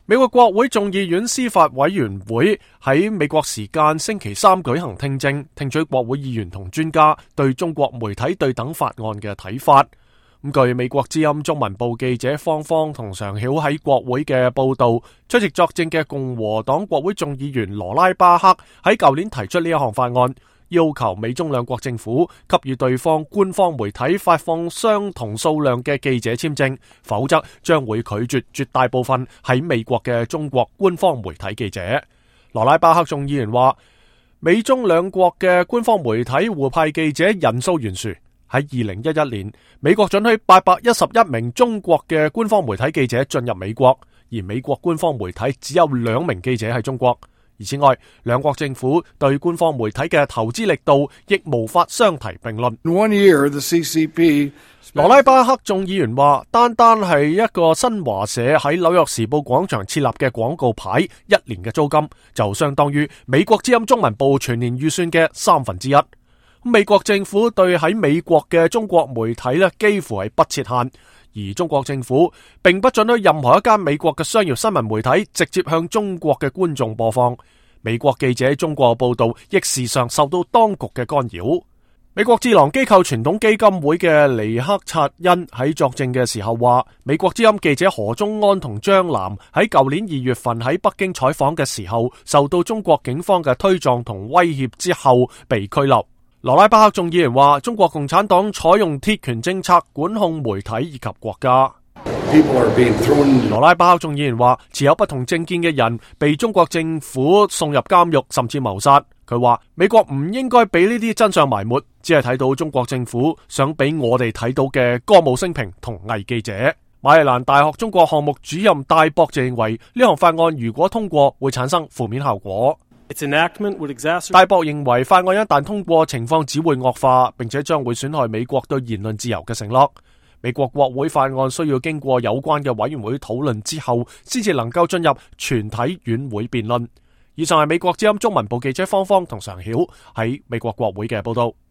美國國會眾議院司法委員會喺美國時間星期三舉行聽證，聽取國會議員同專家對中國媒體對等法案嘅睇法。據美國之音中文部記者方方同常曉喺國會嘅報道，出席作證嘅共和黨國會眾議員羅拉巴克喺舊年提出呢一項法案，要求美中兩國政府給予對方官方媒體發放相同數量嘅記者簽證，否則將會拒絕絕大部分喺美國嘅中國官方媒體記者。羅拉巴克眾議員話，美中兩國嘅官方媒體互派記者人數懸殊。喺2011年，美國准許811名中國嘅官方媒體記者進入美國，而美國官方媒體只有2名記者喺中國。而此外，兩國政府對官方媒體嘅投資力度亦無法相提並論。羅拉巴克眾議員話，單係一個新華社喺紐約時報廣場設立嘅廣告牌，1年嘅租金就相當於美國之音中文部全年預算嘅1/3。美國政府對喺美國嘅中國媒體幾乎係不設限，而中國政府並不准許任何一間美國嘅商業新聞媒體直接向中國嘅觀眾播放。美國記者喺中國報道亦時常受到當局嘅干擾。美國智囊機構傳統基金會嘅尼克察恩喺作證嘅時候話，美國之音記者何忠安同張楠喺舊年2月份喺北京採訪嘅時候，受到中國警方嘅推撞同威脅之後被拘留。羅拉巴克眾議員話，中國共產黨採用鐵拳政策管控媒體以及國家。羅拉巴克眾議員話，持有不同政見嘅人被中國政府送入監獄甚至謀殺。佢話美國唔應該俾呢啲真相埋沒，只係睇到中國政府想俾我哋睇到嘅歌舞升平同偽記者。馬里蘭大學中國項目主任戴博就認為，呢項法案如果通過會產生負面效果。戴博認為法案一旦通過，情況只會惡化，並且將會損害美國對言論自由嘅承諾。美國國會法案需要經過有關嘅委員會討論之後，先至能夠進入全體院會辯論。以上係美國之音中文部記者方方同常曉喺美國國會嘅報道。